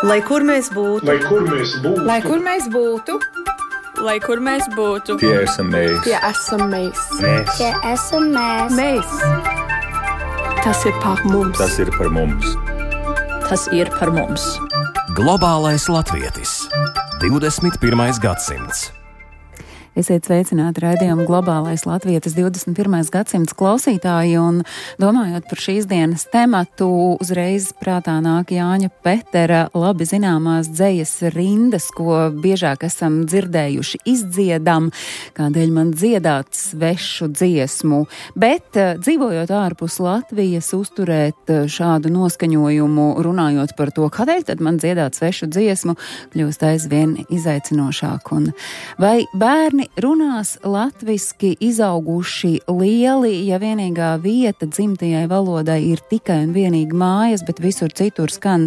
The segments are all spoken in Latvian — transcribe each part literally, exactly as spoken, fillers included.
Lai kur mēs būtu, lai kur mēs būtu, lai kur mēs būtu, lai kur mēs būtu, tie esam mēs. tie esam mēs. Mēs. Tie esam mēs. Mēs. tas ir par mums. Tas ir par mums. tas ir par mums. Globālais latvietis. divdesmit pirmais gadsimts. Esiet sveicināti raidījumu Globālais latvietis divdesmit pirmais gadsimts klausītāji, un domājot par šīs dienas tematu, uzreiz prātā nāk Jāņa Petera labi zināmās dzejas rindas, ko biežāk esam dzirdējuši izdziedam, kādēļ man dziedāt svešu dziesmu. Bet dzīvojot ārpus Latvijas, uzturēt šādu noskaņojumu, runājot par to, kādēļ tad man dziedāt svešu dziesmu, kļūst aizvien izaicinošāk. Un vai bērni runās latviski izauguši lieli, ja vienīgā vieta dzimtajai valodai ir tikai un vienīgi mājas, bet visur citur skan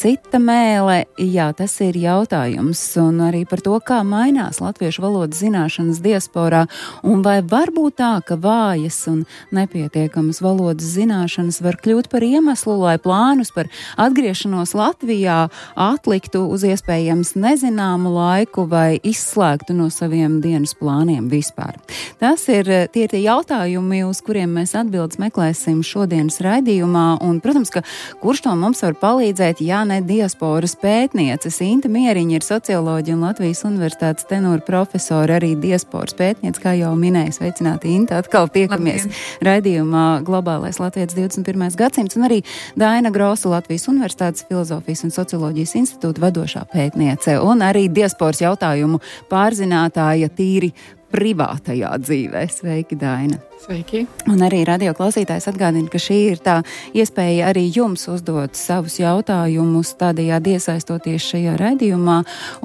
cita mēle? Jā, tas ir jautājums. Un arī par to, kā mainās latviešu valodas zināšanas diasporā, un vai var būt tā, ka vājas un nepietiekamas valodas zināšanas var kļūt par iemeslu, lai plānus par atgriešanos Latvijā atliktu uz iespējams nezināmu laiku vai izslēgtu no saviem dienas plāniem vispār. Tas ir tie, tie jautājumi, uz kuriem mēs atbildes meklēsim šodienas raidījumā, un, protams, ka kurš to mums var palīdzēt, ja ne diasporas pētnieces. Inta Mieriņa ir socioloģija un Latvijas Universitātes tenora profesora, arī diasporas pētniece, kā jau minēja. Sveicināti, Inta, atkal tiekamies Labdien. Raidījumā Globālais latvietis divdesmit pirmais gadsimts, un arī Daina Grosa, Latvijas Universitātes filozofijas un socioloģijas institūta vadošā pētniece, un arī diasporas jautājumu pārzinātāja tīri privātajā dzīvē. Sveiki, Daina! Sveiki! Un arī radio klausītājs atgādina, ka šī ir tā iespēja arī jums uzdot savus jautājumus, tādējādi iesaistoties šajā raidījumā,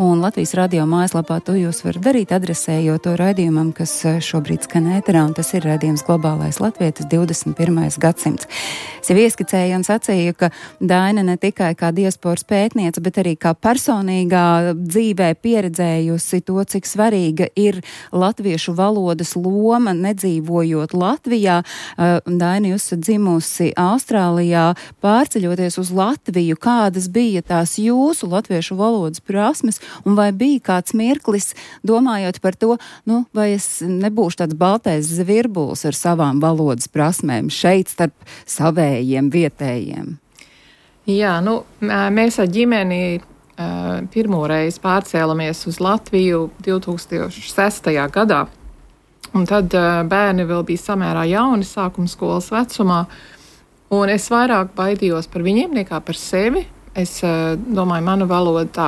un Latvijas radio mājaslapā to jūs varat darīt, adresējot to raidījumam, kas šobrīd skan ēterā, un tas ir raidījums Globālais latvietis divdesmit pirmais gadsimts. Es jau ieskicēju un sacīju, ka Daina ne tikai kā diasporas pētniece, bet arī kā personīgā dzīvē pieredzējusi to, cik svarīga ir latviešu valodas loma, nedzīvojot Latvijā. Daina, jūs esat dzimusi Austrālijā, pārceļoties uz Latviju. Kādas bija tās jūsu latviešu valodas prasmes, un vai bija kāds mirklis, domājot par to, nu, vai es nebūšu tāds baltais zvirbulis ar savām valodas prasmēm šeit starp savējiem, vietējiem? Jā, nu, mēs ar ģimeni pirmoreiz pārcēlamies uz Latviju divi tūkstoši sestajā gadā. Un tad uh, bērni vēl bija samērā jauni, sākuma skolas vecumā, un es vairāk baidījos par viņiem nekā par sevi. Es uh, domāju, mana valoda tā,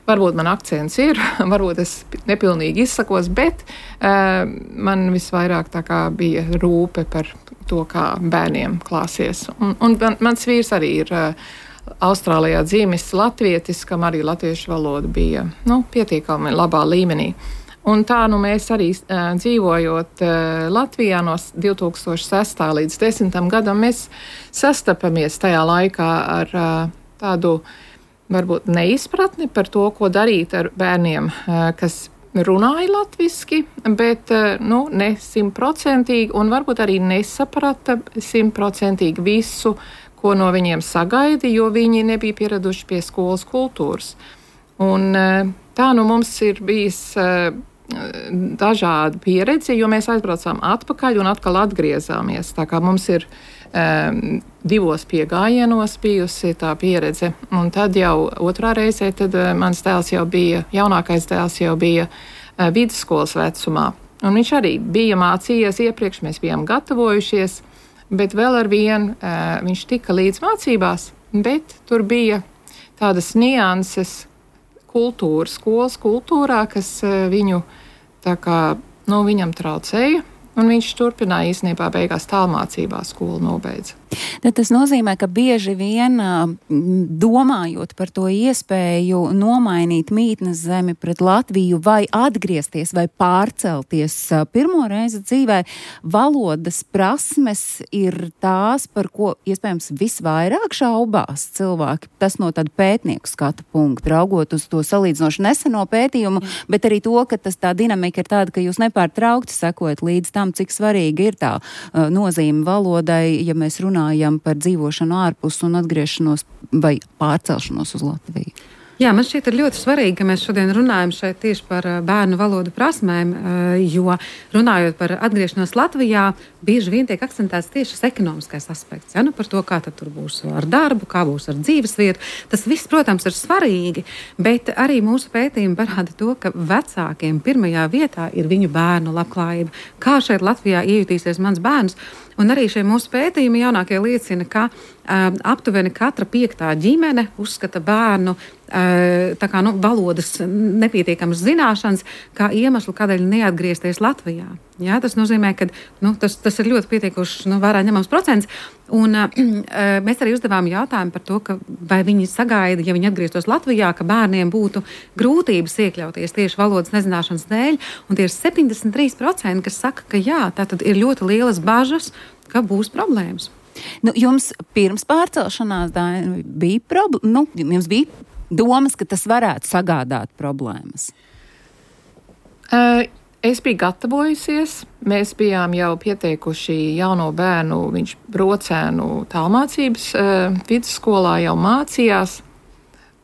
varbūt man akcents ir, varbūt es nepilnīgi izsakos, bet uh, man visvairāk tā kā bija rūpe par to, kā bērniem klāsies. Un, un man, mans vīrs arī ir uh, Austrālijā dzimis latvietis, kam arī latviešu valoda bija, nu, pietiekami labā līmenī. Un tā nu mēs arī uh, dzīvojot uh, Latvijā no divi tūkstoši sestā līdz desmitam gadam, mēs sastapamies tajā laikā ar uh, tādu varbūt neizpratni par to, ko darīt ar bērniem, uh, kas runāja latviski, bet uh, nu, ne simtprocentīgi, un varbūt arī nesaprata simtprocentīgi visu, ko no viņiem sagaida, jo viņi nebija pieraduši pie skolas kultūras. Un uh, tā nu mums ir bijis uh, dažāda pieredze, jo mēs aizbraucām atpakaļ un atkal atgriezāmies. Tā kā mums ir um, divos piegājienos bijusi tā pieredze. Un tad jau otrā reizē, tad uh, mans dēls jau bija, jaunākais dēls jau bija uh, vidusskolas vecumā. Un viņš arī bija mācījies iepriekš, mēs bijām gatavojušies, bet vēl ar vienu uh, viņš tika līdz mācībās, bet tur bija tādas nianses, kultūra, skolas kultūrā, kas viņu tā kā, nu, viņam traucēja, un viņš turpināja īstenībā beigās tālmācībā skolu nobeidza. Tad tas nozīmē, ka bieži vien domājot par to iespēju nomainīt mītnes zemi pret Latviju vai atgriezties vai pārcelties pirmo reizi dzīvē, valodas prasmes ir tās, par ko iespējams visvairāk šaubās cilvēki. Tas no tāda pētnieku skatu punkta, raugot uz to salīdzinoši neseno pētījumu, bet arī to, ka tas tā dinamika ir tāda, ka jūs nepārtraukti sekojat līdz tam, cik svarīga ir tā uh, nozīme valodai, ja mēs runājam runājam par dzīvošanu ārpus un atgriešanos vai pārcelšanos uz Latviju? Jā, man šķiet ir ļoti svarīgi, ka mēs šodien runājam šeit tieši par bērnu valodu prasmēm, jo runājot par atgriešanos Latvijā, bieži vien tiek akcentēts tieši šis ekonomiskais aspekts. Ja? Nu, par to, kā tad tur būs ar darbu, kā būs ar dzīvesvietu. Tas viss, protams, ir svarīgi, bet arī mūsu pētījumi parāda to, ka vecākiem pirmajā vietā ir viņu bērnu labklājība. Kā šeit Latvijā iejutīsies mans bērns? Un arī šie mūsu pētījumi jaunākie liecina, ka uh, aptuveni katra piektā ģimene uzskata bērnu uh, tā kā, nu, valodas nepietiekamas zināšanas kā iemeslu, kādēļ neatgriezties Latvijā. Jā, tas nozīmē, ka nu, tas, tas ir ļoti pietiekuši nu, vērā ņemams procents. Un, uh, mēs arī uzdevām jautājumu par to, ka vai viņi sagaida, ja viņi atgrieztos Latvijā, ka bērniem būtu grūtības iekļauties tieši valodas nezināšanas dēļ. Un tie ir septiņdesmit trīs procenti, kas saka, ka jā, tātad ir ļoti lielas bažas, ka būs problēmas. Nu, jums pirms pārcelšanās Daina, bija problēma, nu, jums bija domas, ka tas varētu sagādāt problēmas? Uh, es biju gatavojusies. Mēs bijām jau pieteikuši jauno bērnu, viņš brocēnu tālmācības uh, vidusskolā jau mācījās.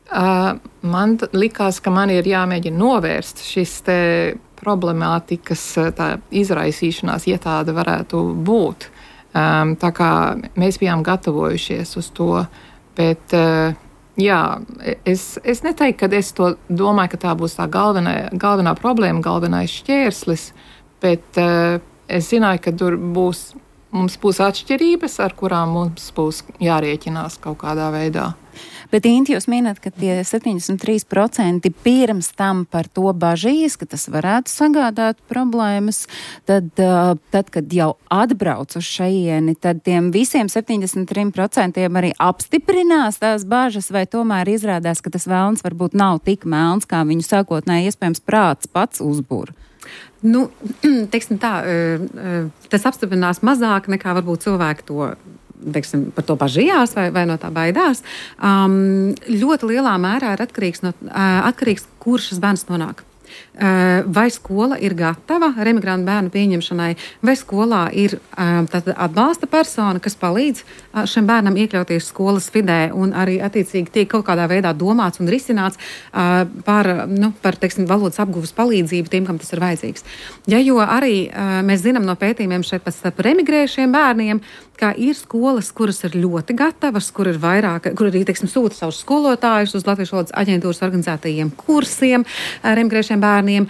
Uh, man likās, ka man ir jāmēģina novērst šis te problemātikas tā izraisīšanās, ja tāda varētu būt. Um, tā kā mēs bijām gatavojušies uz to, bet uh, jā, es, es neteiktu, ka es to domāju, ka tā būs tā galvenā, galvenā problēma, galvenais šķērslis, bet uh, es zināju, ka tur būs, mums būs atšķirības, ar kurām mums būs jārēķinās kaut kādā veidā. Bet, Inti, jūs minat, ka tie septiņdesmit trīs procenti pirms tam par to bažīs, ka tas varētu sagādāt problēmas, tad, tad kad jau atbrauc uz šeieni, tad tiem visiem septiņdesmit trim procentiem arī apstiprinās tās bažas, vai tomēr izrādās, ka tas vēlns varbūt nav tik melns, kā viņu sākotnēji iespējams prāts pats uzbur. Nu, teiksim tā, tas apstiprinās mazāk nekā varbūt cilvēki to teiksim, par to bažījās vai, vai no tā baidās. Um, ļoti lielā mērā ir atkarīgs, no, uh, atkarīgs, kur šis bērns nonāk. Uh, vai skola ir gatava ar emigrantu bērnu pieņemšanai, vai skolā ir um, atbalsta persona, kas palīdz uh, šim bērnam iekļauties skolas vidē un arī attiecīgi tiek kaut kādā veidā domāts un risināts uh, par, nu, par teiksim, valodas apguvas palīdzību tiem, kam tas ir vajadzīgs. Ja, jo arī uh, mēs zinām no pētījumiem šeit par emigrējušiem bērniem, ka ir skolas, kuras ir ļoti gatavas, kur ir vairāk, kur arī, teiksim, sūta savus skolotājus uz Latvijas valodas aģentūras organizētajiem kursiem ar emigrējušiem bērniem,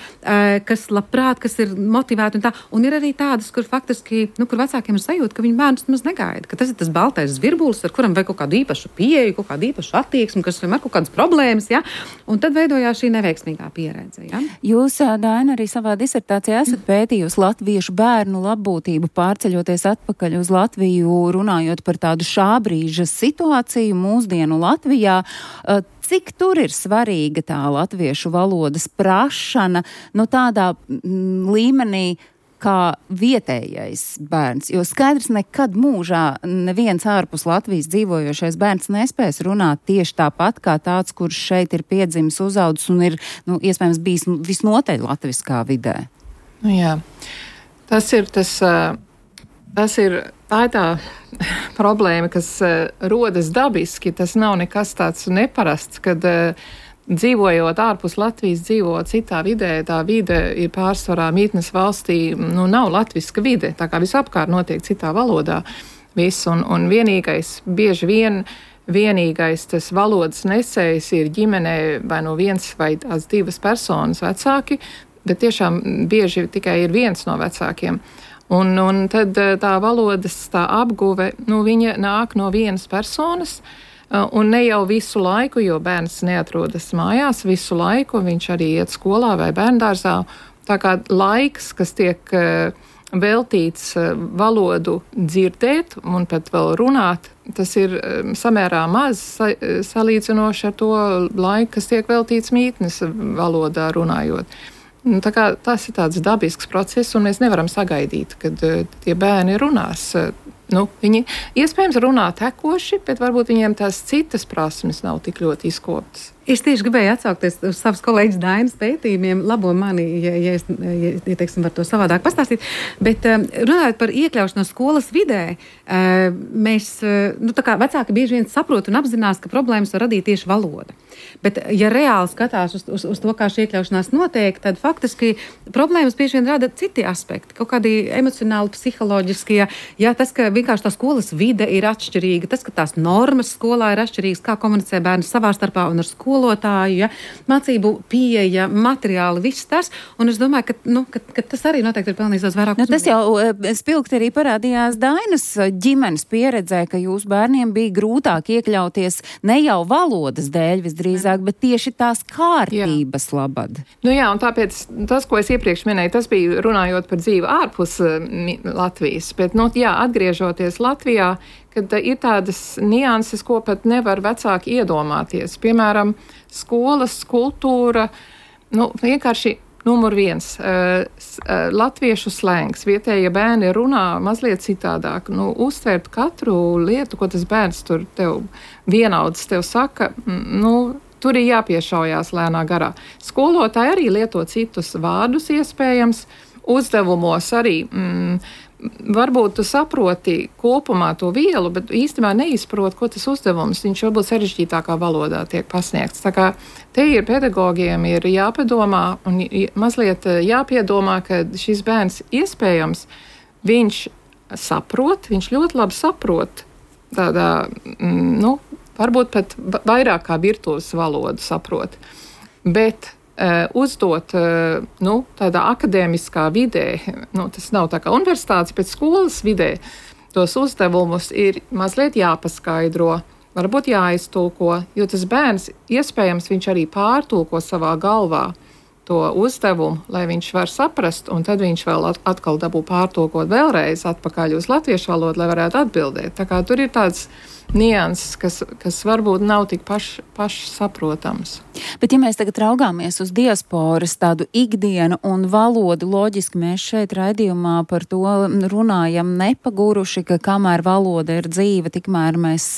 kas labprāt, kas ir motivēti un tā. Un ir arī tādas, kur faktiski, nu, kur vecākiem ir sajūta, ka viņu bērns maz negaida, ka tas ir tas baltais zvirbulis, ar kuram vajag kaut kādu īpašu pieeju, kaut kādu īpašu attieksmi, kas vienmēr kaut kādas problēmas, ja? Un tad veidojās šī neveiksmīgā pieredze, ja? Jūs, Daina, arī savā disertācijā esat pētījusi latviešu bērnu labbūtību pārceļoties atpakaļ uz Latviju, runājot par tādu šā brīža situāciju mūsdienu Latvijā. Cik tur ir svarīga tā latviešu valodas prašana, nu tādā mm, līmenī kā vietējais bērns? Jo skaidrs, nekad mūžā neviens ārpus Latvijas dzīvojošais bērns nespēs runāt tieši tāpat kā tāds, kurš šeit ir piedzimis, uzaudzis un ir, nu, iespējams bijis visnotaļ latviskā vidē. Nu, jā, tas ir tas... Uh... Tas ir tā, ir tā problēma, kas uh, rodas dabiski. Tas nav nekas tāds neparasts, kad uh, dzīvojot ārpus Latvijas, dzīvot citā vidē, tā vide ir pārsvarā mītnes valstī, nu, nav latviska vide, tā kā visapkārt notiek citā valodā. Viss, un, un vienīgais, bieži vien, vienīgais tas valodas nesējs ir ģimenē vai no viens vai tās divas personas vecāki, bet tiešām bieži tikai ir viens no vecākiem. Un, un tad tā valodas tā apguve, nu, viņa nāk no vienas personas, un ne jau visu laiku, jo bērns neatrodas mājās visu laiku, viņš arī iet skolā vai bērndārzā. Tā kā laiks, kas tiek veltīts valodu dzirdēt un pat vēl runāt, tas ir samērā maz salīdzinoši ar to laiku, kas tiek veltīts mītnes valodā runājot. Tā kā tas ir tāds dabisks process, un mēs nevaram sagaidīt, kad uh, tie bērni runās uh, nu, viņi iespējams runā tekoši, bet varbūt viņiem tās citas prasmes nav tik ļoti izkoptas. Es tieši gribēju atsaukties uz savas kolēģis Dainas pētījumiem, labo mani, ja, ja es ja, ja, teiksim, var to savādāk pastāstīt. Bet runājot par iekļaušanos skolas vidē, mēs, nu, tā kā vecāki bieži vien saprot un apzinās, ka problēmas var radīt tieši valoda. Bet, ja reāli skatās uz, uz, uz to, kā šī iekļaušanās notiek, tad faktiski problēmas bieži vien rada citi aspekti, kaut kādi emocionāli, psiholoģiskie. Jā, tas, ka vienkārši tā skolas vide ir atšķirīga, tas, ka tās normas skolā ir atšķirīgas, kā komunicē bērni savā starpā un ar skolotāju, ja, mācību pieeja, materiāli, viss tas. Un es domāju, ka, nu, ka, ka tas arī noteikti ir pelnījis daudz vairāk. Nu, tas jau spilgti arī parādījās Dainas ģimenes pieredzē, ka jūsu bērniem bija grūtāk iekļauties ne jau valodas dēļ visdrīzāk, bet tieši tās kārtības jā. labad. Nu jā, un tāpēc tas, ko es iepriekš minēju, tas bija runājot par dzīvi ārpus Latvijas. Bet, nu, jā, atgriežoties Latvijā, kad ir tādas nianses, ko pat nevar vecāki iedomāties. Piemēram, skolas kultūra, nu, vienkārši numur viens, uh, latviešu slēngs. Vietējie bērni runā mazliet citādāk. Nu, uztvert katru lietu, ko tas bērns tur tev vienaudzis tev saka, nu, tur ir jāpiešaujās lēnā garā. Skolotāji arī lieto citus vārdus iespējams, uzdevumos arī. Mm, Varbūt tu saproti kopumā to vielu, bet īstenībā neizprot, ko tas uzdevums. Viņš varbūt sarežģītākā valodā tiek pasniegts. Tā kā te ir pedagogiem ir jāpadomā un mazliet jāpiedomā, ka šis bērns iespējams, viņš saprot, viņš ļoti labi saprot tādā, nu, varbūt pat vairāk kā virtuves valodu saprot. Bet Uh, uzdot uh, nu, tādā akadēmiskā vidē, nu, tas nav tā kā universitātes, bet skolas vidē, tos uzdevumus ir mazliet jāpaskaidro, varbūt jāiztulko, jo tas bērns iespējams viņš arī pārtulko savā galvā to uzdevumu, lai viņš var saprast, un tad viņš vēl atkal dabū pārtulkot vēlreiz atpakaļ uz latviešu valodu, lai varētu atbildēt. Tā kā tur ir tāds nianses, kas, kas varbūt nav tik paš, pašsaprotams. Bet ja mēs tagad raugāmies uz diasporas tādu ikdienu un valodu, loģiski mēs šeit raidījumā par to runājam nepaguruši, ka kamēr valoda ir dzīva, tikmēr mēs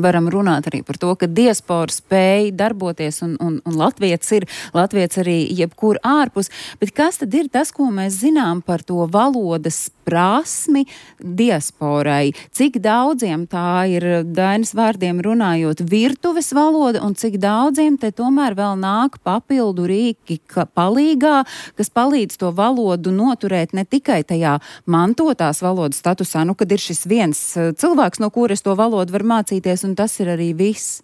varam runāt arī par to, ka diaspora spēj darboties un, un, un latviets ir, latviets arī jebkur ārpus. Bet kas tad ir tas, ko mēs zinām par to valodas prasmi diasporai? Cik daudziem tā ir, Dainas vārdiem runājot, virtuves valoda, un cik daudziem te tomēr vēl nāk papildu rīki palīgā, kas palīdz to valodu noturēt ne tikai tajā mantotās valodas statusā, nu, kad ir šis viens cilvēks, no kuras to valodu var mācīties, un tas ir arī viss.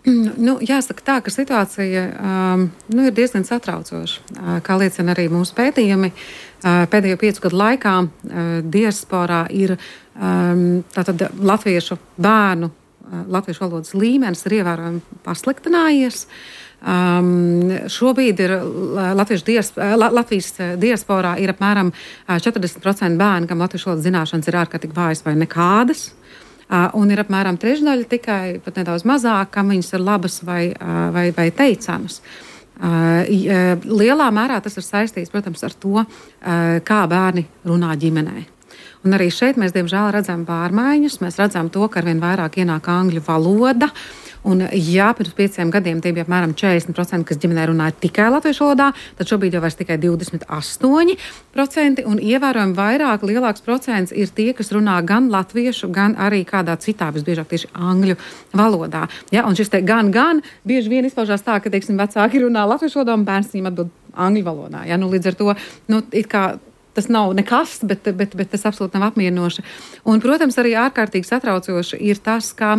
Nu, jāsaka tā, ka situācija um, nu, ir diezgan satraucoša. Uh, kā liecina arī mūsu pētījumi, uh, pēdējo piecu gadu laikā uh, diasporā ir um, tātad latviešu bērnu, uh, latviešu valodas līmenis ir ievērojami pasliktinājies. Um, šobrīd ir latviešu dias, Latvijas diasporā ir apmēram četrdesmit procenti bērni, kam latviešu valodas zināšanas ir ārkārtīgi vājas vai nekādas. Uh, un ir apmēram trešdaļa tikai, pat nedaudz mazāk, kam viņas ir labas vai, uh, vai, vai teicamas. Uh, lielā mērā tas ir saistīts, protams, ar to, uh, kā bērni runā ģimenē. Un arī šeit mēs, diemžēl, redzam pārmaiņas. Mēs redzam to, ka arvien vairāk ienāk angļu valoda. Un, ja pirms pieciem gadiem tie bija apmēram četrdesmit procenti, kas ģimenē runāja tikai latviešu valodā, tad šobrīd jau vairs tikai divdesmit astoņi procenti, un ievērojami vairāk, lielāks procents ir tie, kas runā gan latviešu, gan arī kādā citā, visbiežāk tieši angļu valodā. Ja, un šis te gan, gan bieži vien izpaužās tā, ka, teiksim, vecāki runā latviešu valodā un bērns viņiem atbild angļu valodā. Ja, nu, līdz ar to, nu, it kā tas nav nekas, bet, bet, bet tas absolūti nav apmierinoši. Un, protams, arī ārkārtīgi satraucoši ir tas, ka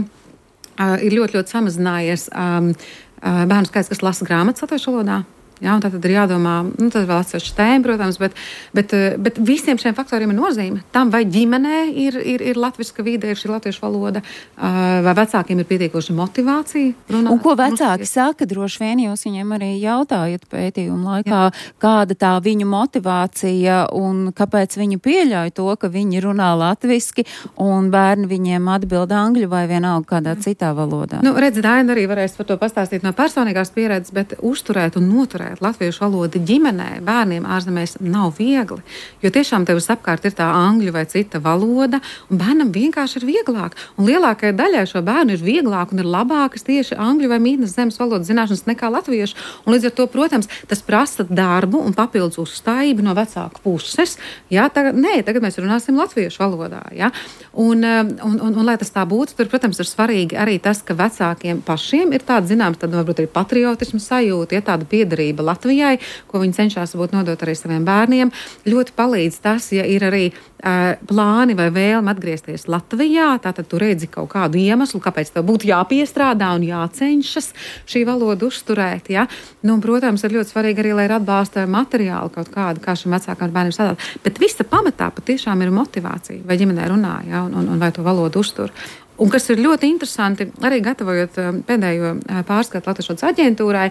Uh, ir ļoti, ļoti samazinājies um, uh, bērnu skaits, kas lasa grāmatas latviešu valodā. Ja, un tā tad ir jādomā, nu, tad vēl atsevišķa tēma, protams, bet, bet, bet visiem šiem faktoriem ir nozīme. Tam vai ģimenē ir, ir, ir latviska vide, ir šī latviešu valoda, vai vecākiem ir pietiekoša motivācija runāt. Un ko vecāki saka, droši vien jūs viņiem arī jautājat pētījumu laikā, jā. Kāda tā viņu motivācija un kāpēc viņi pieļauj to, ka viņi runā latviski un bērni viņiem atbild angļu vai vienalga kādā citā valodā. Nu, redz, Daina arī varēs par to pastāstīt no personīgās pieredzes, bet uzturēt un noturēt uzturēt latviešu valodu ģimenē, bērniem ārzemēs nav viegli. Jo tiešām tev apkārt ir tā angļu vai cita valoda, un bērnam vienkārši ir vieglāk. Un lielākajai daļai šo bērnu ir vieglāk un ir labākas tieši angļu vai mītnes zemes valodas zināšanas nekā latviešu. Un līdz ar to, protams, tas prasa darbu un papildus uzstājību no vecāku puses. Jā, tagad, nē, tagad mēs runāsim latviešu valodā. Jā. Un, un, un, un, lai tas tā būtu, tur, protams, ir svarīgi arī tas, ka vecākiem pašiem ir tāda, zināms, tad varbūt arī patriotismu sajūta, ja tāda piederība Latvijai, ko viņi cenšas būt nodot arī saviem bērniem. Ļoti palīdz tas, ja ir arī uh, plāni vai vēlme atgriezties Latvijā, tātad tu redzi kaut kādu iemeslu, kāpēc tev būtu jāpiestrādā un jācenšas šī valoda uzturēt. Ja? Nu, un, protams, ir ļoti svarīgi arī, lai ir atbalsta materiāli kaut kādu, kā šim vecākam bērniem strādāt. Bet visa pamatā patiešām ir motivācija, vai ģimenē runā, ja? un, un, un vai to valodu uztur. Un kas ir ļoti interesanti, arī gatavojot pēdējo pārskatu Latvijas valodas aģentūrai,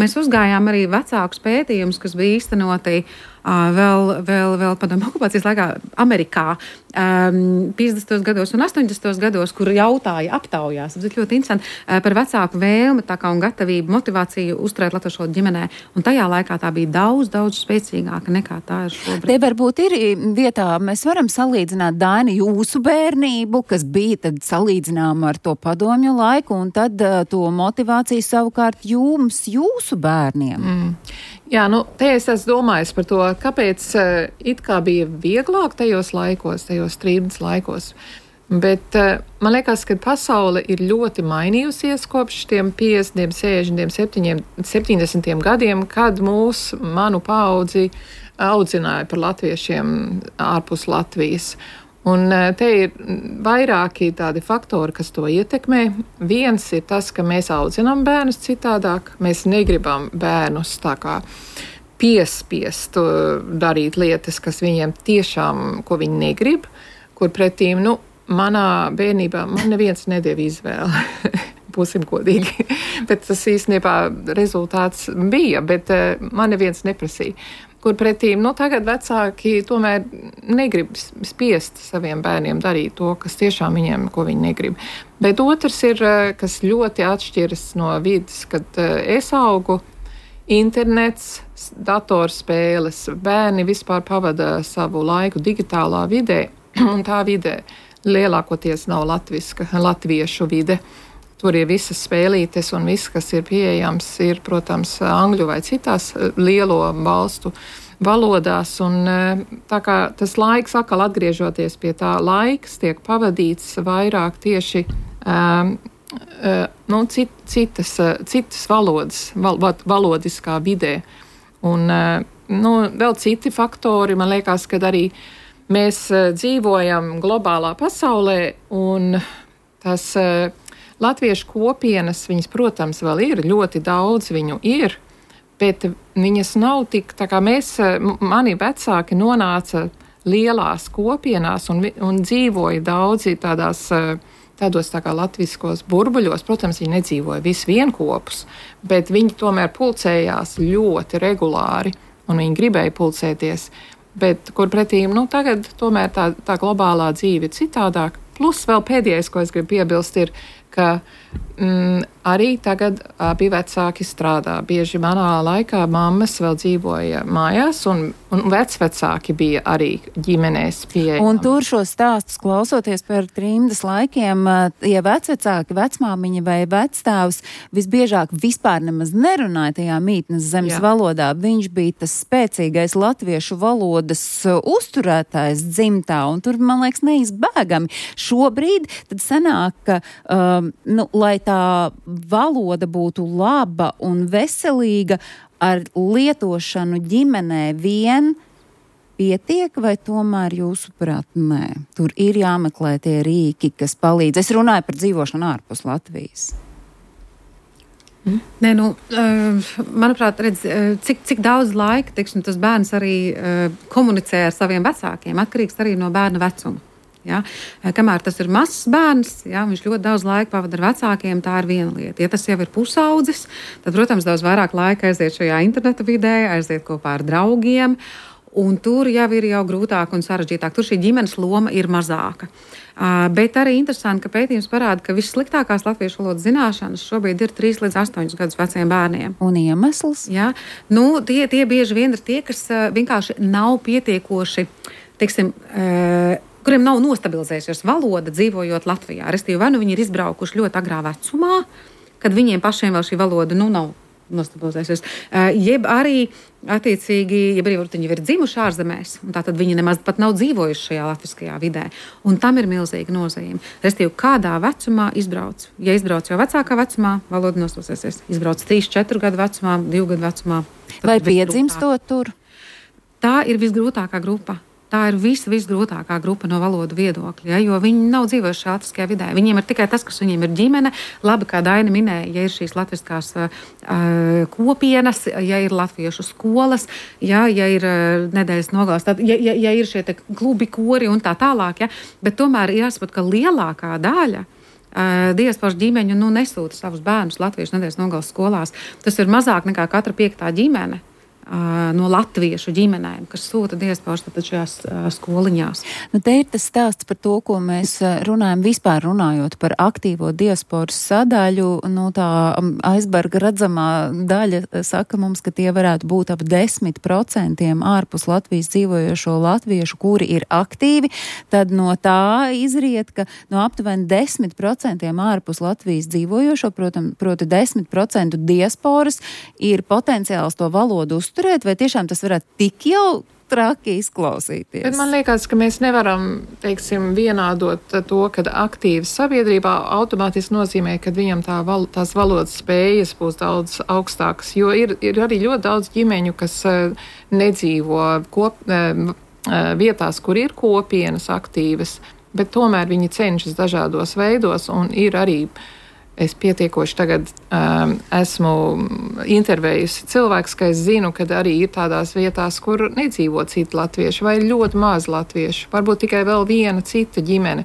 mēs uzgājām arī vecākus pētījumus, kas bija īstenoti uh, vēl, vēl, vēl padomu okupācijas laikā Amerikā um, piecdesmitos gados un astoņdesmitos gados, kur jautāja aptaujās. Tas ir ļoti interesanti uh, par vecāku vēlmi tā kā un gatavību, motivāciju uzturēt latviešu valodu ģimenē. Un tajā laikā tā bija daudz, daudz spēcīgāka nekā tā ir šobrīd. Te varbūt ir vietā, mēs varam salīdzināt, Daini, jūsu bērnību, kas bija tad salīdzinām ar to padomju laiku, un tad uh, to motivāciju savukārt jums, jūsu bērniem. Mm. Jā, nu, te es esmu domājis par to, kāpēc uh, it kā bija vieglāk tajos laikos, tajos strīdnes laikos. Bet uh, man liekas, ka pasaule ir ļoti mainījusies kopš tiem piecdesmitiem, sešdesmitiem, septiņdesmitiem gadiem, kad mūs, manu paudzi, audzināja par latviešiem ārpus Latvijas. Un te ir vairāki tādi faktori, kas to ietekmē. Viens ir tas, ka mēs audzinām bērnus citādāk. Mēs negribam bērnus tā kā piespiest darīt lietas, kas viņiem tiešām, ko viņi negrib, kur pretīm, nu, manā bērnībā man neviens nedēva izvēli. Būsim godīgi. Bet tas īstenībā rezultāts bija, bet man neviens neprasīja. Kur pretīm, nu, tagad vecāki tomēr negrib spiest saviem bērniem darīt to, kas tiešām viņiem, ko viņi negrib. Bet otrs ir, kas ļoti atšķiras no vidas, kad es augu, internets, datorspēles, bērni vispār pavada savu laiku digitālā vidē, un tā vidē lielākoties nav latviska, latviešu vide. Tur ir visas spēlītes un viss, kas ir pieejams, ir, protams, angļu vai citās lielo valstu valodās. Un tā kā tas laiks atkal atgriežoties pie tā, laiks tiek pavadīts vairāk tieši um, uh, nu, cit, citas, citas valodas, val, valodiskā vidē. Un uh, nu, vēl citi faktori, man liekas, kad arī mēs dzīvojam globālā pasaulē un tas uh, latviešu kopienas, viņas, protams, vēl ir, ļoti daudz viņu ir, bet viņas nav tik, tā kā mēs, mani vecāki nonāca lielās kopienās un, un dzīvoja daudzi tādās, tādos tā kā latviskos burbuļos. Protams, viņi nedzīvoja visi vienkopus, bet viņi tomēr pulcējās ļoti regulāri un viņi gribēja pulcēties. Bet kur pretīm, nu, tagad tomēr tā, tā globālā dzīve ir citādāk. Plus vēl pēdējais, ko es gribu piebilst, ir, ka mm, arī tagad abi vecāki strādā. Bieži manā laikā mammas vēl dzīvoja mājās, un, un vecvecāki bija arī ģimenēs pieejami. Un tur šo stāstus klausoties par trimdas laikiem, ja vecvecāki, vecmāmiņa vai vecstāvs visbiežāk vispār nemaz nerunāja tajā mītnes zemes Jā. Valodā, viņš bija tas spēcīgais latviešu valodas uzturētājs dzimtā, un tur, man liekas, neizbēgami. Šobrīd tad sanāk, ka um, nu, lai tā valoda būtu laba un veselīga, ar lietošanu ģimenē vien pietiek, vai tomēr jūsuprāt nē? Tur ir jāmeklē tie rīki, kas palīdz. Es runāju par dzīvošanu ārpus Latvijas. Mm. Nē, nu, manuprāt, redz, cik, cik daudz laika, teiksim, tas bērns arī komunicē ar saviem vecākiem, atkarīgs arī no bērna vecuma. Ja? Kamēr tas ir mazs bērns, ja, viņš ļoti daudz laika pavada ar vecākiem, tā ir viena lieta. Ja tas jau ir pusaudzis, tad, protams, daudz vairāk laika aiziet šajā interneta vidē, aiziet kopā ar draugiem. Un tur jau ir jau grūtāk un sarežģītāk. Tur šī ģimenes loma ir mazāka. Uh, bet arī interesanti, ka pētījums parāda, ka vissliktākās latviešu valodas zināšanas šobrīd ir trīs līdz astoņus gadus veciem bērniem. Un iemesls? Jā, nu, tie, tie bieži vien ir tie, kas uh, vienkārši nav pietiekoši, teiksim, uh, kuriem nav nostabilizējusies valoda dzīvojot Latvijā. Restīvi, vai nu viņi ir izbraukuši ļoti agrā vecumā, kad viņiem pašiem vēl šī valoda nu, nav nostabilizējusies. Uh, jeb arī, attiecīgi, jeb arī viņi ir dzimuši ārzemēs, un tātad viņi nemaz pat nav dzīvojuši šajā latviskajā vidē. Un tam ir milzīga nozīme. Restīvi, kādā vecumā izbrauc. Ja izbrauc jau vecākā vecumā, valoda nostabilizēsies. Izbrauc trīs, četru gadu vecumā, divu gadu vecumā. Vai piedzimstot tur? Tā ir visgrūtākā grupa. Tā ir vis, visgrūtākā grupa no valodu viedokļa, ja, jo viņi nav dzīvojuši šajā latviskajā vidē. Viņiem ir tikai tas, kas viņiem ir ģimene. Labi, kā Daina minēja, ja ir šīs latviskās uh, kopienas, ja ir latviešu skolas, ja, ja ir uh, nedēļas nogals, tad, ja, ja, ja ir šie te klubi, kori un tā tālāk. Ja, bet tomēr jāsaprot, ka lielākā daļa uh, diasporas ģimeņu nu, nesūta savus bērnus latviešu nedēļas nogals skolās. Tas ir mazāk nekā katra piektā ģimene no latviešu ģimenēm, kas sūta diasporas šajās uh, skoliņās. Nu, te ir tas stāsts par to, ko mēs runājam vispār runājot par aktīvo diasporas sadaļu. Nu, tā aizberga redzamā daļa saka mums, ka tie varētu būt ap desmit procentiem ārpus Latvijas dzīvojošo latviešu, kuri ir aktīvi. Tad no tā izriet, ka no aptuveni desmit procentiem ārpus Latvijas dzīvojošo, protams, proti desmit procenti diasporas ir potenciāls to valodu uzturēt. Vai tiešām tas varētu tik jau traki izklausīties? Bet man liekas, ka mēs nevaram, teiksim, vienādot to, ka aktīvs sabiedrībā automātiski nozīmē, ka viņam tā val, tās valodas spējas būs daudz augstākas, jo ir, ir arī ļoti daudz ģimeņu, kas nedzīvo kop, vietās, kur ir kopienas aktīvas, bet tomēr viņi cenšas dažādos veidos un ir arī. Es pietiekoši tagad um, esmu intervējusi cilvēks, ka es zinu, ka arī ir tādās vietās, kur nedzīvo citi latvieši vai ļoti maz latvieši, varbūt tikai vēl viena cita ģimene.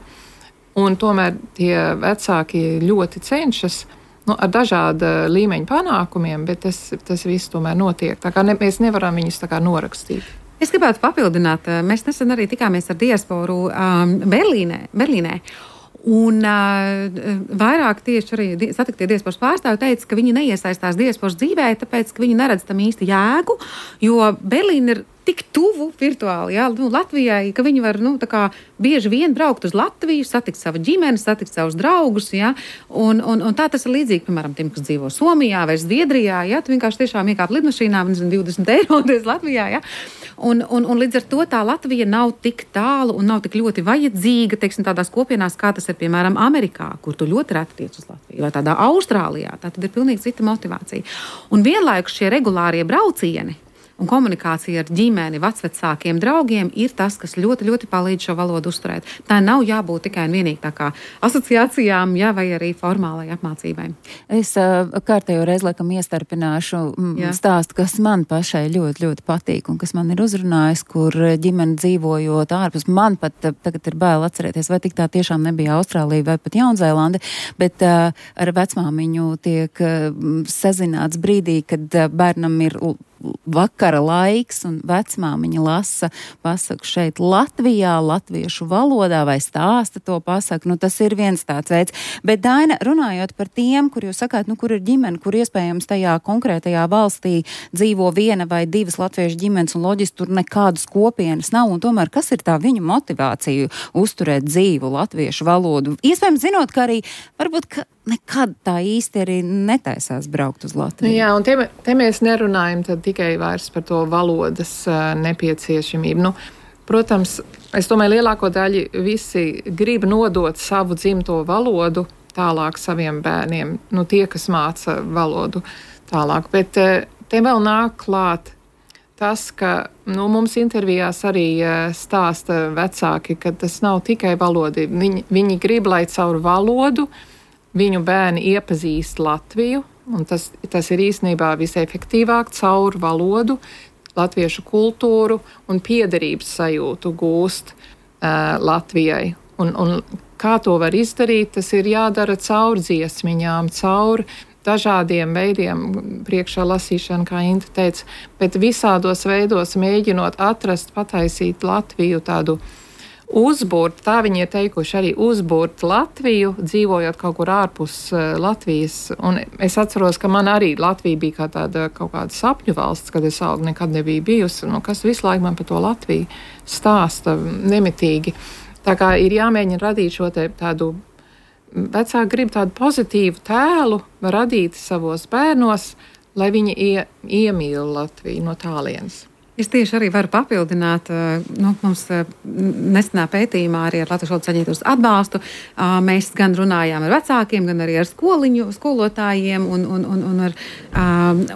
Un tomēr tie vecāki ļoti cenšas nu, ar dažāda līmeņa panākumiem, bet tas, tas viss tomēr notiek. Tā kā ne, mēs nevaram viņus tā kā norakstīt. Es gribētu papildināt, mēs nesen arī tikāmies ar diasporu um, Berlīnē. Berlīnē. Un uh, vairāk tieši arī satiktie diasporas pārstāvi teica, ka viņi neiesaistās diasporas dzīvē, tāpēc, ka viņi neredz tam īsti jēgu, jo Berlīna ir tik tuvu virtuāli, jā, nu, Latvijai, ka viņi var, nu, tā kā bieži vien braukt uz Latviju, satikt savu ģimeni, satikt savus draugus, jā, un, un, un tā tas ir līdzīgi, piemēram, tiem, kas dzīvo Somijā vai Zviedrijā, jā, tu vienkārši tiešām iekāp lidmašīnā, nezinu, divdesmit eiro diez Latvijā, jā, un, un, un līdz ar to tā Latvija nav tik tālu un nav tik ļoti vajadzīga, teiksim, tādās kopienās, kā tas ir, piemēram, Amerikā, kur tu ļoti reti tiec uz Latviju, vai tādā Austrālijā, tā tad ir pilnīgi cita motivācija. Un vienlaikus šie regulārie braucieni un komunikācija ar ģimeni, vecvecākiem, draugiem ir tas, kas ļoti, ļoti palīdz šo valodu uzturēt. Tā nav jābūt tikai un vienīgi tā kā asociācijām, jā, vai arī formālai apmācībai. Es uh, kārtējo reizi laikam iestarpināšu m, stāstu, kas man pašai ļoti, ļoti patīk un kas man ir uzrunājis, kur ģimene dzīvojot ārpus. Man pat tagad ir bail atcerēties, vai tik tā tiešām nebija Austrālija vai pat Jaunzēlande, bet uh, ar vecmāmiņu tiek uh, sazināts brīdī, kad uh, bērnam ir vakara laiks un vecmāmiņa lasa pasaku šeit Latvijā, latviešu valodā vai stāsta to pasaku. Nu, tas ir viens tāds veids. Bet, Daina, runājot par tiem, kur jūs sakāt, nu, kur ir ģimene, kur iespējams tajā konkrētajā valstī dzīvo viena vai divas latviešu ģimenes un loģiski tur nekādas kopienas nav, un tomēr kas ir tā viņu motivācija uzturēt dzīvu latviešu valodu? Iespējams, zinot, ka arī varbūt, ka nekad tā īsti arī netaisās braukt uz Latviju. Jā, un te, te mēs nerunājam tad tikai vairs par to valodas uh, nepieciešamību. Nu, protams, es domāju, lielāko daļu visi grib nodot savu dzimto valodu tālāk saviem bērniem, nu tie, kas māca valodu tālāk. Bet uh, te vēl nāk klāt tas, ka nu, mums intervijās arī uh, stāsta vecāki, ka tas nav tikai valoda. Viņi, viņi grib, lai caur valodu viņu bērni iepazīst Latviju, un tas, tas ir īstenībā visefektīvāk caur valodu, latviešu kultūru un piederības sajūtu gūst uh, Latvijai. Un, un kā to var izdarīt, tas ir jādara caur dziesmiņām, caur dažādiem veidiem priekšā lasīšana, kā Inta teica, bet visādos veidos mēģinot atrast, pataisīt Latviju tādu uzbūrt, tā viņi ir teikuši arī uzbūrt Latviju, dzīvojot kaut kur ārpus Latvijas. Un es atceros, ka man arī Latvija bija kā tāda kaut kāda sapņu valsts, kad es augu nekad nebija bijusi, nu, kas visu laiku man par to Latviju stāsta nemitīgi. Tā kā ir jāmēģina radīt šo te tādu vecāki grib tādu pozitīvu tēlu radīt savos bērnos, lai viņi ie, iemīl Latviju no tālienes. Es tieši arī varu papildināt, nu, mums nesenā pētījumā arī ar Latvijas valodas aģentūras atbalstu. Mēs gan runājām ar vecākiem, gan arī ar skoliņu, skolotājiem, un, un, un, un, ar,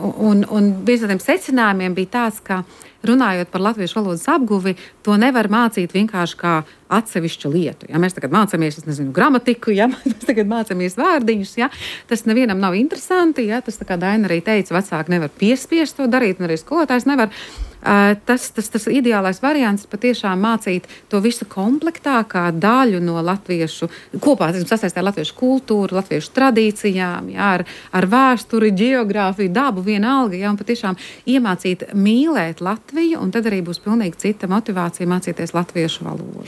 un, un viens no tiem secinājumiem bija tāds, ka runājot par latviešu valodas apguvi, to nevar mācīt vienkārši kā atsevišķu lietu. Ja mēs tagad mācāmies, es nezinu, gramatiku, ja mēs tagad mācāmies vārdiņus, ja tas nevienam nav interesanti, ja tas, tā kā Daina arī teica, vecāki nevar piespiest to darīt, un arī skolotājs nevar. Uh, tas, tas, tas ideālais variants ir patiešām mācīt to visu komplektā kā daļu no latviešu, kopā sasaistē latviešu kultūru, latviešu tradīcijām, ja, ar, ar vēsturi, geogrāfiju, dabu, vienalga, ja, un patiešām iemācīt mīlēt Latviju, un tad arī būs pilnīgi cita motivācija mācīties latviešu valodu.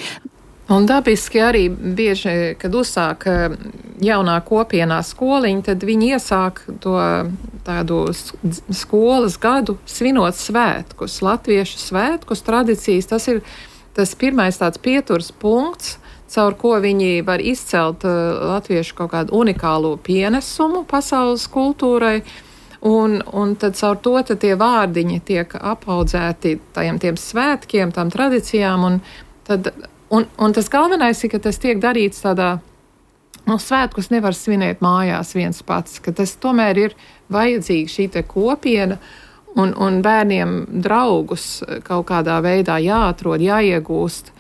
Un dabiski arī bieži, kad uzsāk jaunā kopienā skoliņu, tad viņi iesāk to tādu skolas gadu svinot svētkus, latviešu svētkus, tradīcijas. Tas ir tas pirmais tāds pieturas punkts, caur ko viņi var izcelt latviešu kaut kādu unikālo pienesumu pasaules kultūrai. Un, un tad caur to tad tie vārdiņi tiek apaudzēti tajiem tiem svētkiem, tām tradīcijām. Un, tad, un, un tas galvenais ir, ka tas tiek darīts tādā, nu, svētkus nevar svinēt mājās viens pats, ka tas tomēr ir vajadzīga šī te kopiena un, un bērniem draugus kaut kādā veidā jāatrod, jāiegūst.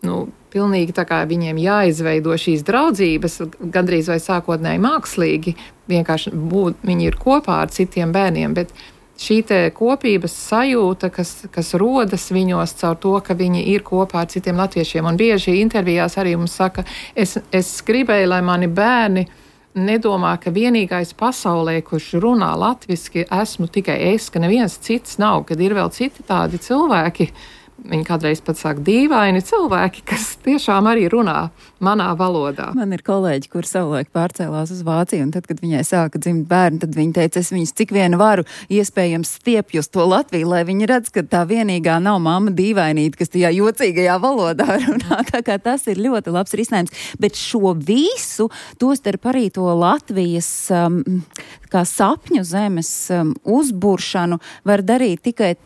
Nu, pilnīgi tā kā viņiem jāizveido šīs draudzības, gandrīz vai sākotnēji mākslīgi, vienkārši būt, viņi ir kopā ar citiem bērniem, bet šī te kopības sajūta, kas, kas rodas viņos caur to, ka viņi ir kopā ar citiem latviešiem, un bieži intervijās arī mums saka, es, es gribēju, lai mani bērni nedomā, ka vienīgais pasaulē, kurš runā latviski, esmu tikai es, ka neviens cits nav, kad ir vēl citi tādi cilvēki. Viņi kādreiz pat sāk dīvaini cilvēki, kas tiešām arī runā manā valodā. Man ir kolēģi, kur savulaik pārcēlās uz Vāciju, un tad, kad viņai sāka dzimt bērni, tad viņi teica, es viņus cik vien varu iespējams stiepju uz to Latviju, lai viņi redz, ka tā vienīgā nav mamma dīvainīta, kas tajā jocīgajā valodā runā. Tā kā tas ir ļoti labs risinājums. Bet šo visu, tostarp arī to Latvijas um, kā sapņu zemes um, uzburšanu var darīt tikai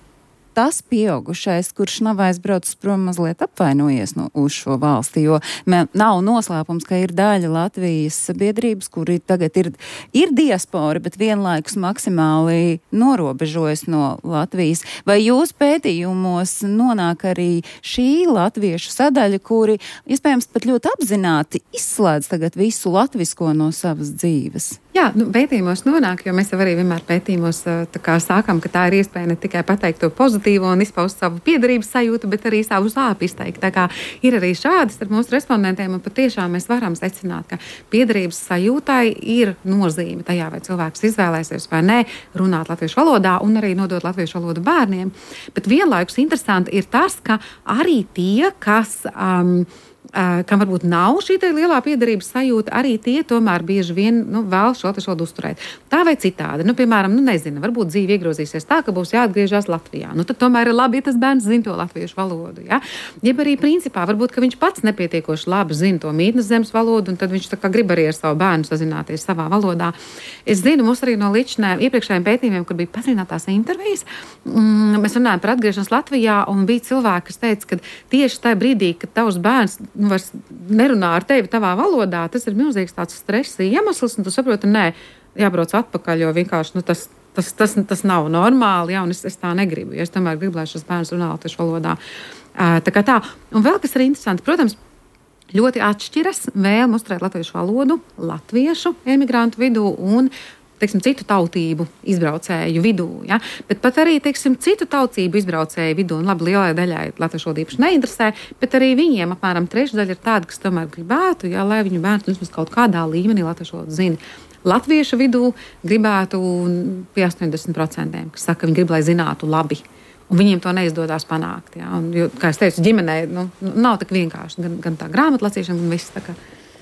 tas pieaugušais, kurš nav aizbraucis prom mazliet apvainojies no, uz šo valsti, jo mē, nav noslēpums, ka ir daļa Latvijas sabiedrības, kuri tagad ir, ir diaspora, bet vienlaikus maksimāli norobežojas no Latvijas. Vai jūs pētījumos nonāk arī šī latviešu sadaļa, kuri iespējams pat ļoti apzināti izslēdz tagad visu latvisko no savas dzīves? Jā, nu, pētījumos nonāk, jo mēs jau arī vienmēr pētījumos tā kā sākam, ka tā ir iespēja ne tikai pateikt to pozitīvo un izpaust savu piederības sajūtu, bet arī savu sāpju izteikt. Tā kā ir arī šādi starp mūsu respondentiem, un patiešām mēs varam secināt, ka piederības sajūtai ir nozīme tajā, vai cilvēks izvēlēsies vai nē runāt latviešu valodā un arī nodot latviešu valodu bērniem. Bet vienlaikus interesanti ir tas, ka arī tie, kas Um, Uh, kam varbūt nav šī lielā piederības sajūta, arī tie tomēr bieži vien nu, vēl šo latviešu valodu uzturēt. Tā vai citādi. Nu, piemēram, nu, nezinu, varbūt dzīve iegrozīsies tā, ka būs jāatgriežas Latvijā. Nu, tad tomēr ir labi, ja tas bērns zina to latviešu valodu. Ja? Jeb arī principā varbūt, ka viņš pats nepietiekoši labi zina to mītnes zemes valodu, un tad viņš tā kā grib arī ar savu bērnu sazināties savā valodā. Es zinu, mums arī no līdzinājiem iepriekšējiem pētījumiem, kur bija padziļinātās intervijas, mm, mēs runājam par atgriešanos Latvijā, un bija cilvēki, kas teica, ka tieši tajā brīdī, kad tavs bērns nu, vairs nerunā ar tevi tavā valodā, tas ir milzīgs tāds stresa iemesls, un tu saproti, nē, jābrauc atpakaļ, jo vienkārši nu, tas, tas, tas, tas nav normāli, ja, un es, es tā negribu, ja es tomēr gribu, lai šis bērns runā latviešu valodā. Tā kā tā. Un vēl kas ir interesanti, protams, ļoti atšķiras vēlme uzturēt latviešu valodu latviešu emigrantu vidū un teiksim, citu tautību izbraucēju vidū. Ja? Bet pat arī teiksim, citu tautību izbraucēju vidū, un labi, lielai daļai latviešu valoda īpaši neinteresē, bet arī viņiem apmēram trešdaļa ir tāda, kas tomēr gribētu, ja, lai viņu bērns vismaz kaut kādā līmenī latviešu valodu zina. latviešu vidū gribētu pie astoņdesmit procentiem, kas saka, ka viņi grib, lai zinātu labi. Un viņiem to neizdodas panākt. Ja? Un, jo, kā es teicu, ģimenei nu, nav tik vienkārši. Gan, gan tā grāmatlasīšana, gan viss tā kā.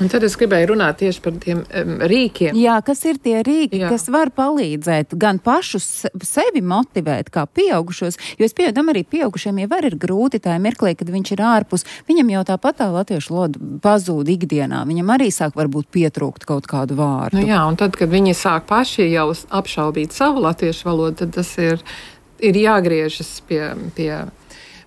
Un tad es gribēju runāt tieši par tiem um, rīkiem. Jā, kas ir tie rīki, Jā. kas var palīdzēt gan pašus sevi motivēt kā pieaugušos, jo es pieņemu arī pieaugušiem jau var ir grūti tajā mirklī, kad viņš ir ārpus. Viņam jau tāpat tā latviešu valoda pazūd ikdienā. Viņam arī sāk varbūt pietrūkt kaut kādu vārdu. Nu jā, un tad, kad viņi sāk paši jau apšaubīt savu latviešu valodu, tad tas ir, ir jāgriežas pie... pie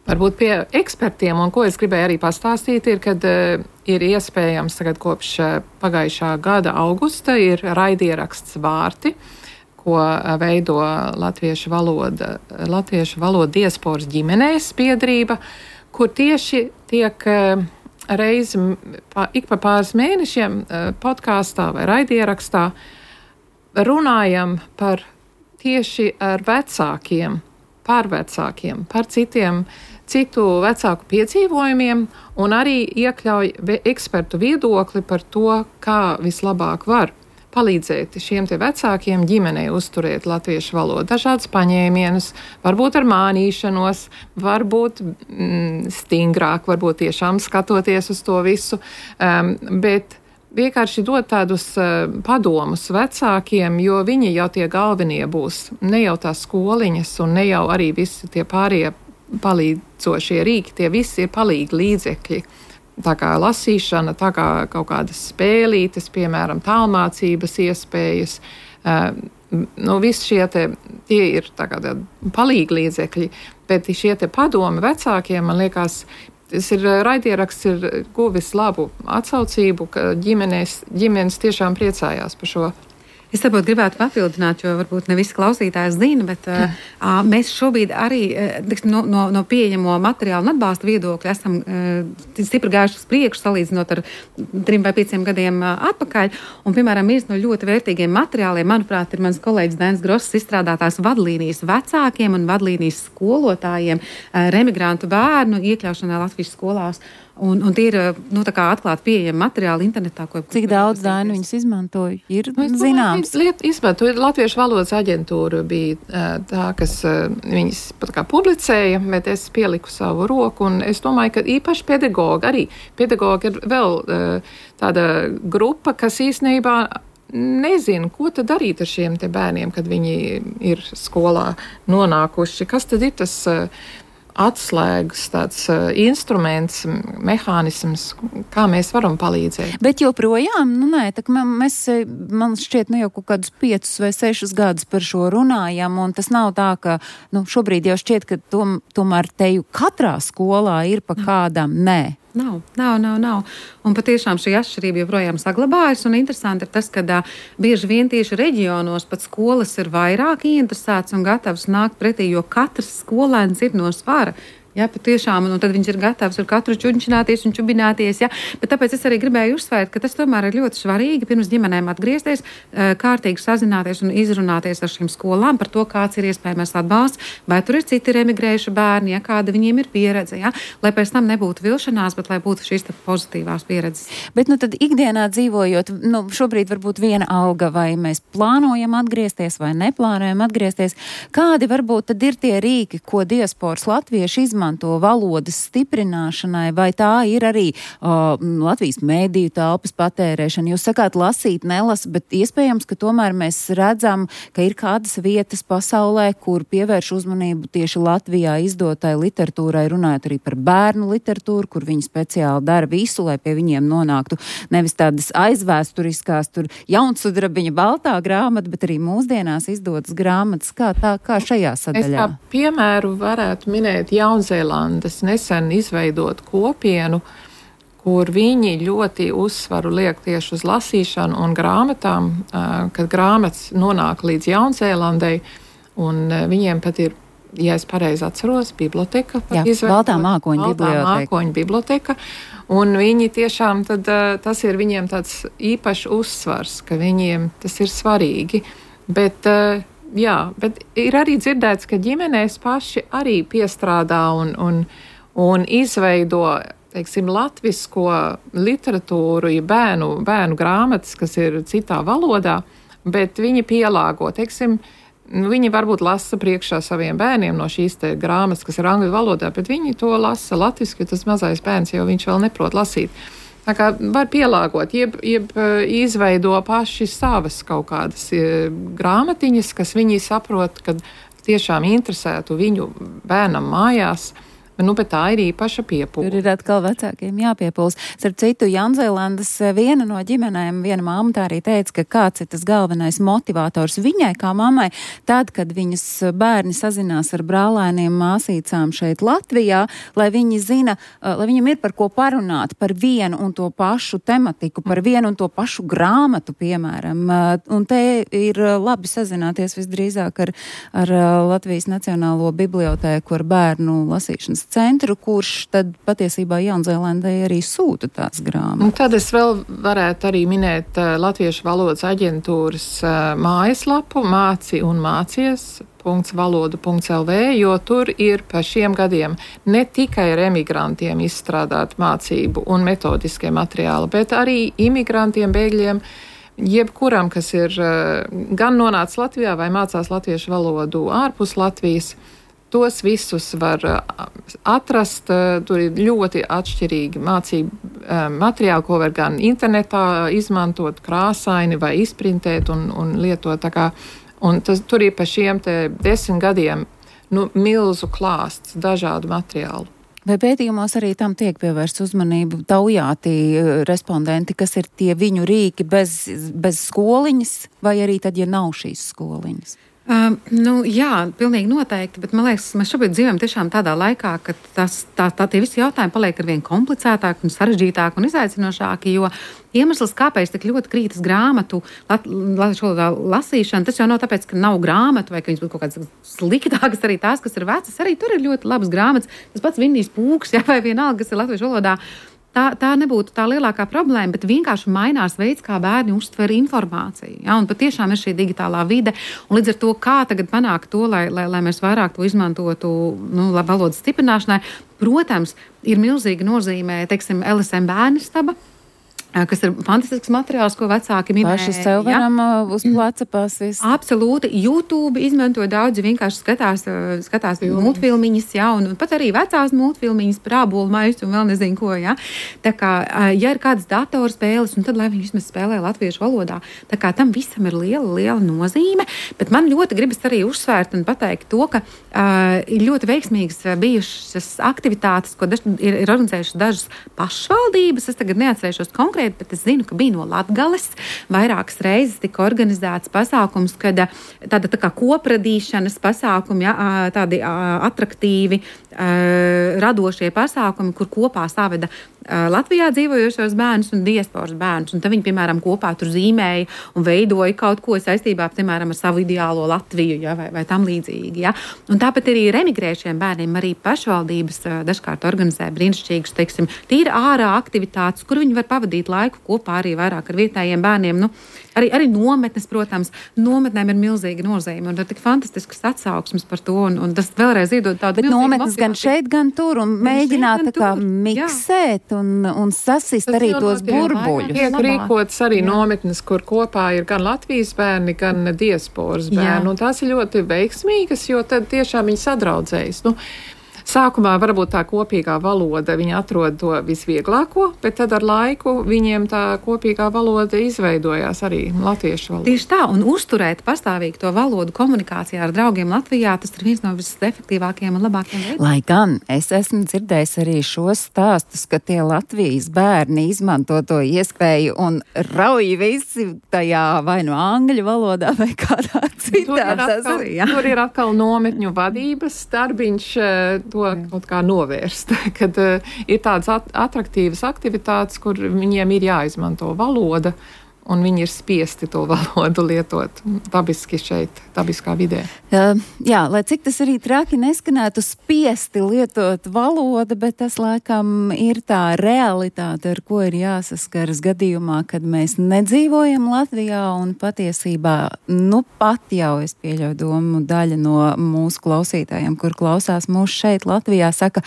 Varbūt pie ekspertiem, un ko es gribēju arī pastāstīt, ir, kad uh, ir iespējams tagad kopš uh, pagājušā gada augusta ir raidieraksts Vārti, ko uh, veido Latviešu valoda, Latviešu valoda diasporas ģimenēs biedrība, kur tieši tiek uh, reizi pa, ik pa pāris mēnešiem uh, podkāstā vai raidierakstā runājam par tieši ar vecākiem, par vecākiem, par citiem citu vecāku piedzīvojumiem un arī iekļauj ekspertu viedokli par to, kā vislabāk var palīdzēt šiem te vecākiem ģimenei uzturēt latviešu valodu. Dažādas paņēmienus, varbūt ar mānīšanos, varbūt mm, stingrāk, varbūt tiešām skatoties uz to visu, um, bet vienkārši dot tādus uh, padomus vecākiem, jo viņi jau tie galvenie būs, ne jau tās skoliņas un ne jau arī visi tie pārējie palīdzošie rīki, tie visi ir palīgi līdzekļi. Tā kā lasīšana, tā kā kaut kādas spēlītes, piemēram, tālmācības iespējas. Uh, nu, visi šie te, tie ir tā kā palīgi līdzekļi, bet šie te padomi vecākiem, man liekas, tas ir raidieraksts ir guvis labu atsaucību, ka ģimenes, ģimenes tiešām priecājās par šo. Es saprotu, gribētu papildināt, jo varbūt ne visi klausītājs zina, bet uh, uh, mēs šobrīd arī uh, no, no, no pieejamo materiālu un atbalsta viedokļa esam uh, stipri gājuši uz priekšu, salīdzinot ar trim vai pieciem gadiem uh, atpakaļ. Un, piemēram, viens no ļoti vērtīgiem materiāliem, manuprāt, ir mans kolēģis Dainis Gross izstrādātās vadlīnijas vecākiem un vadlīnijas skolotājiem, uh, remigrantu bērnu iekļaušanai Latvijas skolās. Un, un tie ir nu, atklāti pieejami materiāli internetā. Ko, Cik daudz Dainu viņas izmantoja? Ir nu, zināms. Izmantoja Latviešu valodas aģentūra bija tā, kas viņas pat kā publicēja, bet es pieliku savu roku. Un es domāju, ka īpaši pedagogi arī. Pedagogi ir vēl tāda grupa, kas īstenībā nezinu, ko tad darīt ar šiem te bērniem, kad viņi ir skolā nonākuši. Kas tad ir tas atslēgas, tāds uh, instruments, mehānisms, kā mēs varam palīdzēt. Bet joprojām, nu nē, tā kā mēs, man šķiet, nu jau kaut kādus piecus vai sešus gadus par šo runājam, un tas nav tā, ka, nu, šobrīd jau šķiet, ka tom, tomēr teju katrā skolā ir pa kādam, nē. Nav, nav, nav, nav. Un patiešām šī atšķirība joprojām saglabājas. Un interesanti ir tas, ka uh, bieži vien tieši reģionos pat skolas ir vairāk ieinteresētas un gatavas nākt pretī, jo katrs skolēns ir no svara. Jā, patiešām, un tad viņš ir gatavs ar katru čuņķināties un čubināties. Jā. Bet tāpēc es arī gribēju uzsvērt, ka tas tomēr ir ļoti svarīgi pirms ģimenēm atgriezties, kārtīgi sazināties un izrunāties ar šīm skolām par to, kāds ir iespējamais atbalsts, vai tur ir citi emigrējuši bērni, ja, kāda viņiem ir pieredze, ja, lai pēc tam nebūtu vilšanās, bet lai būtu šīs pozitīvās pieredzes. Bet nu tad ikdienā dzīvojot, nu šobrīd varbūt viena alga, vai mēs plānojam atgriezties vai neplānojam atgriezties, kādi varbūt tad ir tie rīki, ko diasporas latvieši izmanto to valodas stiprināšanai, vai tā ir arī uh, Latvijas mēdīju telpas patērēšana? Jūs sakāt lasīt, nelasa, bet iespējams, ka tomēr mēs redzam, ka ir kādas vietas pasaulē, kur pievērš uzmanību tieši Latvijā izdotai literatūrai, runājot arī par bērnu literatūru, kur viņi speciāli dara visu, lai pie viņiem nonāktu nevis tādas aizvēsturiskās, tur jaunsudrabiņa baltā grāmata, bet arī mūsdienās izdotas grāmatas. Kā, tā, kā šajā sadaļā? Es kā piemēru varētu minēt Jaunzēlandes nesen izveidot kopienu, kur viņi ļoti uzsvaru liek tieši uz lasīšanu un grāmatām, kad grāmatas nonāk līdz Jaunzēlandei, un viņiem pat ir, ja es pareizi atceros, biblioteka. Jā, Baltā mākoņu biblioteka. Mākoņu biblioteka, un viņi tiešām, tad, tas ir viņiem tāds īpašs uzsvars, ka viņiem tas ir svarīgi, bet jā, bet ir arī dzirdēts, ka ģimenēs paši arī piestrādā un, un, un izveido, teiksim, latvisko literatūru, ja bērnu, bērnu grāmatas, kas ir citā valodā, bet viņi pielāgo, teiksim, viņi varbūt lasa priekšā saviem bērniem no šīs te grāmatas, kas ir angļu valodā, bet viņi to lasa latviski, jo tas mazais bērns jau viņš vēl neprot lasīt. Tā kā var pielāgot, jeb, jeb izveido paši savas kaut kādas grāmatiņas, kas viņi saprot, kad tiešām interesētu viņu bērnam mājās. Nu, bet tā ir īpaša piepūle. Tur ir atkal vecākiem jāpiepūls. Starp citu, Jaunzēlandes viena no ģimenēm, viena māma tā arī teica, ka kāds ir tas galvenais motivators viņai kā mammai, tad, kad viņas bērni sazinās ar brālēniem, māsīcām šeit Latvijā, lai viņi zina, lai viņam ir par ko parunāt, par vienu un to pašu tematiku, par vienu un to pašu grāmatu, piemēram. Un te ir labi sazināties visdrīzāk ar, ar Latvijas Nacionālo bibliotēku, ar bērnu lasīšanas centru, kurš tad patiesībā Jaunzēlandē arī sūta tās grāmatas. Un tad es vēl varētu arī minēt uh, Latviešu valodas aģentūras uh, mājaslapu māci un mācies punkts valoda punkts el vē, jo tur ir pa šiem gadiem ne tikai ar emigrantiem izstrādāt mācību un metodiskie materiāli, bet arī imigrantiem, bēgļiem, jebkuram, kas ir uh, gan nonācis Latvijā vai mācās latviešu valodu ārpus Latvijas. Tos visus var atrast, tur ir ļoti atšķirīgi mācību materiāli, ko var gan internetā izmantot krāsaini vai izprintēt un, un lietot. Tā kā, un tas, tur ir pa šiem te desmit gadiem nu, milzu klāsts dažādu materiālu. Vai pētījumos arī tam tiek pievērsts uzmanību taujāti respondenti, kas ir tie viņu rīki bez, bez skoliņas, vai arī tad, ja nav šīs skoliņas? Uh, nu, jā, pilnīgi noteikti, bet man liekas, mēs šobrīd dzīvojam tiešām tādā laikā, ka tas, tā, tā tie visi jautājumi paliek arvien komplicētāki un sarežģītāki un izaicinošāki, jo iemesls, kāpēc tik ļoti krītas grāmatu lat, latviešu valodā lasīšana, tas jau nav tāpēc, ka nav grāmatu vai ka viņas būtu kaut kādas sliktākas, arī tās, kas ir vecas, arī tur ir ļoti labas grāmatas. Tas pats Vinnijs Pūks, jā, vai vienalga, kas ir latviešu valodā. Tā, tā nebūtu tā lielākā problēma, bet vienkārši mainās veids, kā bērni uztver informāciju. Ja? Un patiešām ir šī digitālā vide. Un līdz ar to, kā tagad panākt to, lai, lai, lai mēs vairāk to izmantotu nu, valodas stiprināšanai, protams, ir milzīga nozīmē, teiksim, el es em bērnistaba, kas ir fantastisks materiāls, ko vecāki minēja. Paši sev varam ja? uz pleca pasist. Absolūti. YouTube izmanto daudzi, vienkārši skatās, skatās multfilmiņas, ja, un pat arī vecās multfilmiņas, prābolu maisu un vēl nezinu ko, ja. Tā kā, ja ir kādas datorspēles, un tad, lai viņi vismaz spēlē latviešu valodā, tā kā tam visam ir liela, liela nozīme, bet man ļoti gribas arī uzsvērt un pateikt to, ka uh, ir ļoti veiksmīgas bijušas aktivitātes, ko daž, ir, ir organizējušas dažas pašvaldības. Es tagad neatcerēšos konkrēti, bet es zinu, ka bija no Latgales vairākas reizes tika organizēts pasākums, kad tāda tā kā kopradīšanas pasākumi, ja, tādi atraktīvi, radošie pasākumi, kur kopā saveda Latvijā dzīvojošos bērnus un diasporas bērnus. Un tad viņi, piemēram, kopā tur zīmēja un veidoja kaut ko saistībā, piemēram, ar savu ideālo Latviju, ja, vai, vai tam līdzīgi. Ja. Un tāpat arī ar emigrējušiem bērniem arī pašvaldības dažkārt organizē brīnišķīgus, teiksim, tīri ārā aktivitātes, kur viņi var pavadīt laiku kopā arī vairāk ar vietējiem bērniem. Nu, arī, arī nometnes, protams, nometnēm ir milzīga nozīme un ir tik fantastiskas atsauksmes par to. Un, un tas vēlreiz iedod tādu milzīgu nometnes motivāciju. Gan šeit, gan tur un gan mēģināt tā kā tur. miksēt un, un sasist tas arī tos burbuļus. Tiek rīkots arī jā. nometnes, kur kopā ir gan Latvijas bērni, gan diasporas bērni. Jā. Un tās ir ļoti veiksmīgas, jo tad tiešām viņi sadraudzējas. Nu, Sākumā varbūt tā kopīgā valoda, viņi atrod to visvieglāko, bet tad ar laiku viņiem tā kopīgā valoda izveidojās arī latviešu valoda. Tieši tā, un uzturēt pastāvīgi to valodu komunikācijā ar draugiem Latvijā, tas ir viens no visefektīvākajiem un labākajiem veidiem. Lai gan es esmu dzirdējis arī šos stāstus, ka tie Latvijas bērni izmanto to iespēju un rauj visi tajā vai no angļu valodā vai kādā citā. Tur ir atkal, tur ir atkal nometņu vadības darbiņš, to kaut kā novērst, kad uh, ir tādas at- atraktīvas aktivitātes, kur viņiem ir jāizmanto valoda, un viņi ir spiesti to valodu lietot dabiski šeit, dabiskā vidē. Uh, jā, lai cik tas arī traki neskanētu, spiesti lietot valodu, bet tas laikam ir tā realitāte, ar ko ir jāsaskaras gadījumā, kad mēs nedzīvojam Latvijā un patiesībā, nu pat jau es pieļauju domu daļa no mūsu klausītājiem, kur klausās mūs šeit Latvijā, saka,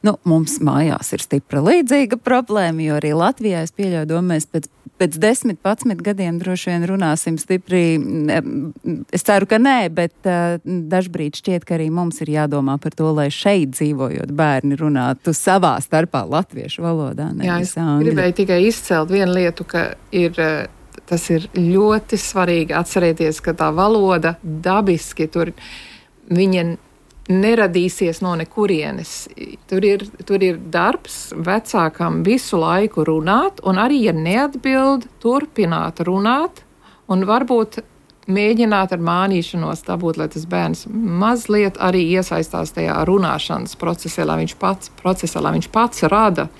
nu, mums mājās ir stipra līdzīga problēma, jo arī Latvijā es pieļauju domu, mēs pēc pēc desmit, padsmit gadiem droši vien runāsim stipri. Es ceru, ka nē, bet uh, dažbrīd šķiet, ka arī mums ir jādomā par to, lai šeit dzīvojot bērni runātu savā starpā latviešu valodā. Jā, es angļu. Gribēju tikai izcelt vienu lietu, ka ir, tas ir ļoti svarīgi atcerēties, ka tā valoda dabiski tur viņa neradīsies no nekurienes. Tur ir, tur ir darbs vecākam visu laiku runāt, un arī, ja neatbild, turpināt runāt, un varbūt mēģināt ar mānīšanos dabūt, lai tas bērns mazliet arī iesaistās tajā runāšanas procesā, lai viņš pats, procesā, lai viņš pats rada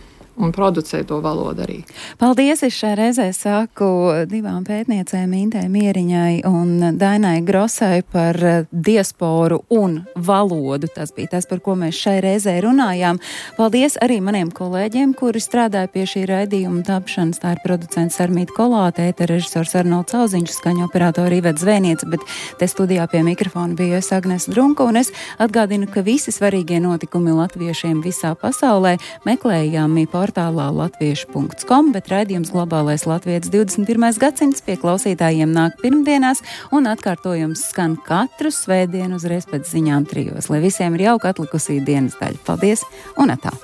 un producē to valodu arī. Paldies! Es šai reizē saku divām pētniecēm, Intei Mieriņai un Dainai Grosai par diasporu un valodu. Tas bija tas, par ko mēs šai reizē runājām. Paldies arī maniem kolēģiem, kuri strādāja pie šī raidījuma tapšanas. Tā ir producents Sarmīta Kolāte, ētera režisors Arnolds Auziņš, skaņu operatori Iveta Zvēniece, bet te studijā pie mikrofona bija es Agnes Drunka, un es atgādinu, ka visi svarīgie notikumi latviešiem visā pasaulē meklējami portālā latviešu punkts com, bet raidījums Globālais Latvietis divdesmit pirmais gadsimts pie klausītājiem nāk pirmdienās, un atkārtojums skan katru svētdienu uzreiz pēc ziņām trijos. Lai visiem ir jauka atlikusī dienas daļa. Paldies un atā!